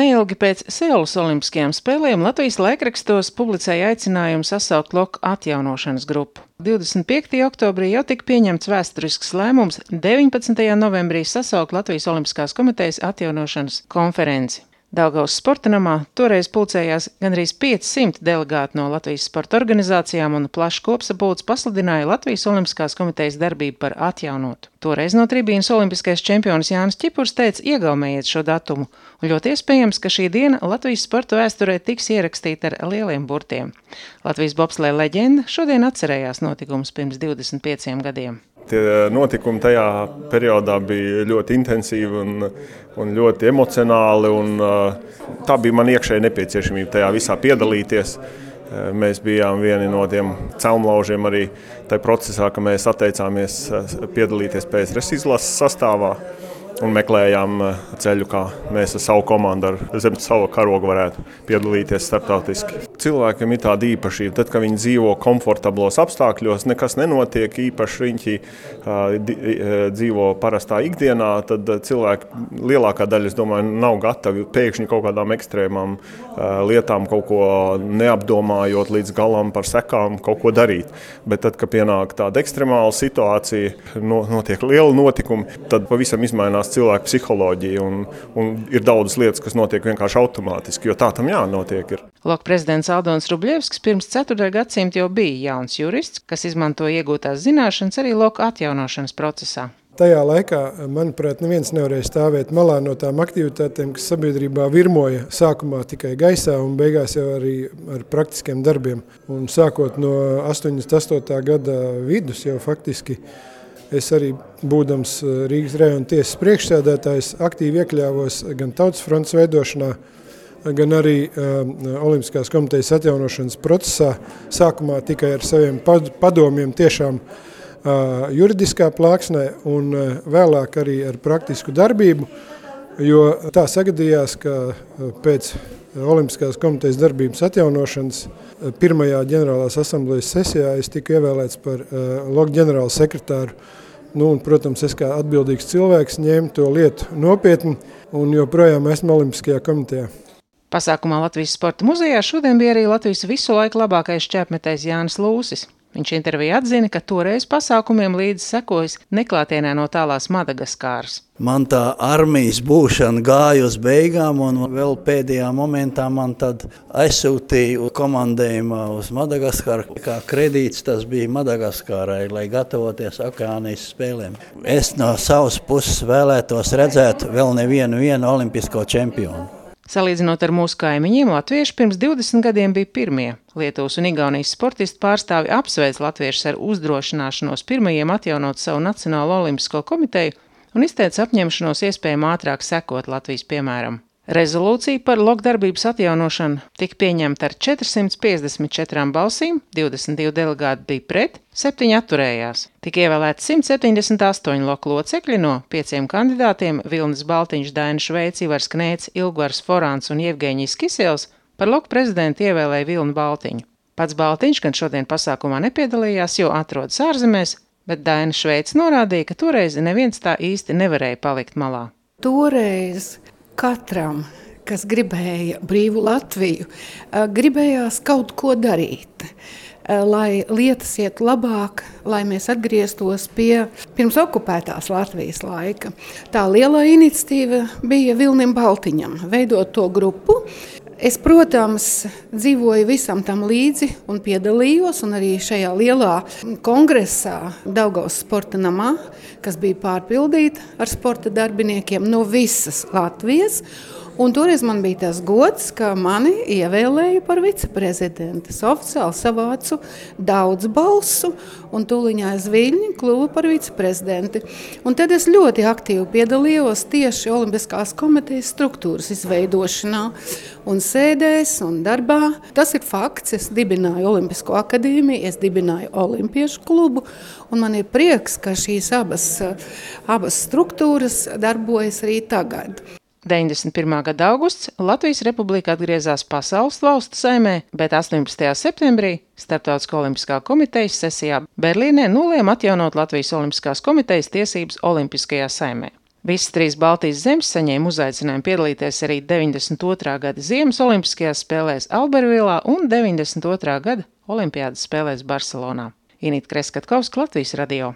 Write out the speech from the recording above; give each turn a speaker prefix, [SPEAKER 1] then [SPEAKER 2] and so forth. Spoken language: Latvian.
[SPEAKER 1] Neilgi pēc Seulas olimpiskajām spēlēm Latvijas laikrakstos publicēja aicinājumu sasaukt LOK atjaunošanas grupu. 25. oktobrī jau tika pieņemts vēsturisks lēmums 19. novembrī sasaukt Latvijas Olimpiskās komitejas atjaunošanas konferenci. Daugavas sporta namā toreiz pulcējās gandrīz 500 delegāti no Latvijas sporta organizācijām un plašs kopsapulcs pasludināja Latvijas Olimpiskās komitejas darbību par atjaunotu. Toreiz no tribīnas olimpiskais čempions Jānis Čipurs teica: iegaumējiet šo datumu, un ļoti iespējams, ka šī diena Latvijas sporta vēsturē tiks ierakstīta ar lieliem burtiem. Latvijas bobsleja leģenda šodien atcerējās notikumus pirms 25 gadiem.
[SPEAKER 2] Tie notikumi tajā periodā bija ļoti intensīvi un ļoti emocionāli, un tā bija man iekšēji nepieciešamība tajā visā piedalīties. Mēs bijām vieni no tiem celmlaužiem arī tajā procesā, ka mēs atteicāmies piedalīties PSRS izlases sastāvā un meklējām ceļu, kā mēs ar savu komandu, zem savu karogu varētu piedalīties starptautiski. Cilvēkiem ir tāda īpašība, tad, kad viņi dzīvo komfortablos apstākļos, nekas nenotiek, īpaši riņķi dzīvo parastā ikdienā, tad cilvēki lielākā daļa, es domāju, nav gatavi pēkšņi kaut kādām ekstrēmām lietām, kaut ko neapdomājot līdz galam par sekām, kaut ko darīt. Bet tad, kad pienāk tāda ekstremāla situācija, notiek liela notikumi, tad pavisam izmainās cilvēku psiholoģija un ir daudzas lietas, kas notiek vienkārši automātiski, jo tā tam jānotiek ir.
[SPEAKER 1] LOK prezidents Aldons Rubļevskis pirms 4. gadsimta jau bija jauns jurists, kas izmanto iegūtās zināšanas arī LOK atjaunošanas procesā.
[SPEAKER 3] Tajā laikā, manuprāt, neviens nevarēja stāvēt malā no tām aktivitātēm, kas sabiedrībā virmoja sākumā tikai gaisā un beigās jau arī ar praktiskiem darbiem. Un sākot no 88. gada vidus jau faktiski es arī, būdams Rīgas rajona tiesas priekšsēdētājs, aktīvi iekļāvos gan Tautas frontes veidošanā, gan arī Olimpiskās komitejas atjaunošanas procesā. Sākumā tikai ar saviem padomiem tiešām juridiskā plāksnē un vēlāk arī ar praktisku darbību, jo tā sagadījās, ka pēc Olimpiskās komitejas darbības atjaunošanas pirmajā ģenerālās asamblejas sesijā es tiku ievēlēts par LOK ģenerālu sekretāru. Un, protams, es kā atbildīgs cilvēks ņēmu to lietu nopietni un joprojām esmu Olimpiskajā komitejā.
[SPEAKER 1] Pasākumā Latvijas sporta muzejā šodien bija arī Latvijas visu laiku labākais šķēpmetējs Jānis Lūsis. Viņš intervijā atzina, ka toreiz pasākumiem līdzi sekojas neklātienē no tālās Madagaskāras.
[SPEAKER 4] Man tā armijas būšana gāja uz beigām, un vēl pēdējā momentā man tad aizsūtīja komandējumu uz Madagaskaru. Kā kredīts tas bija Madagaskārai, lai gatavoties Okeānijas spēlēm. Es no savas puses vēlētos redzēt vēl nevienu olimpisko čempionu.
[SPEAKER 1] Salīdzinot ar mūsu kaimiņiem, latvieši pirms 20 gadiem bija pirmie. Lietuvas un Igaunijas sportistu pārstāvi apsveic latviešus ar uzdrošināšanos pirmajiem atjaunot savu Nacionālo olimpisko komiteju un izteica apņemšanos iespējami ātrāk sekot Latvijas piemēram. Rezolūcija par LOK darbības atjaunošanu tika pieņemta ar 454 balsīm, 22 delegāti bija pret, 7 atturējās. Tika ievēlēti 178 LOK locekļi no 5 kandidātiem – Vilnis Baltiņš, Daina Šveica, Ivars Knēts, Ilgvars Forāns un Jevgeņijs Kisels – par LOK prezidentu ievēlēja Vilni Baltiņu. Pats Baltiņš gan šodien pasākumā nepiedalījās, jo atrodas ārzemēs, bet Daina Šveica norādīja, ka toreiz neviens tā īsti nevarēja palikt malā.
[SPEAKER 5] Toreiz katram, kas gribēja brīvu Latviju, gribējās kaut ko darīt, lai lietas iet labāk, lai mēs atgrieztos pie pirms okupētās Latvijas laika. Tā lielā iniciatīva bija Vilnim Baltiņam veidot to grupu. Es, protams, dzīvoju visam tam līdzi un piedalījos, un arī šajā lielā kongresā Daugavas sporta namā, kas bija pārpildīta ar sporta darbiniekiem no visas Latvijas. Un toreiz man bija tas gods, ka mani ievēlēja par viceprezidentu. Es oficiāli savācu daudz balsu un tūliņā aiz Viļņa kļuvu par viceprezidenti. Un tad es ļoti aktīvi piedalījos tieši Olimpiskās komitejas struktūras izveidošanā un sēdēs un darbā. Tas ir fakts, es dibināju Olimpisko akadēmiju, es dibināju Olimpiešu klubu, un man ir prieks, ka šīs abas struktūras darbojas arī tagad.
[SPEAKER 1] 91. gada augusts Latvijas Republika atgriezās Pasaules valstu saimē, bet 18. septembrī Starptautiskā olimpiskā komitejas sesijā Berlīnē nolēma atjaunot Latvijas Olimpiskās komitejas tiesības Olimpiskajā saimē. Visas 3 Baltijas zemes saņēma uzaicinājumu piedalīties arī 92. gada Ziemas olimpiskajās spēlēs Albervilā un 92. gada Olimpiādas spēlēs Barcelonā. Inīta Kreskatkovska, Latvijas radio.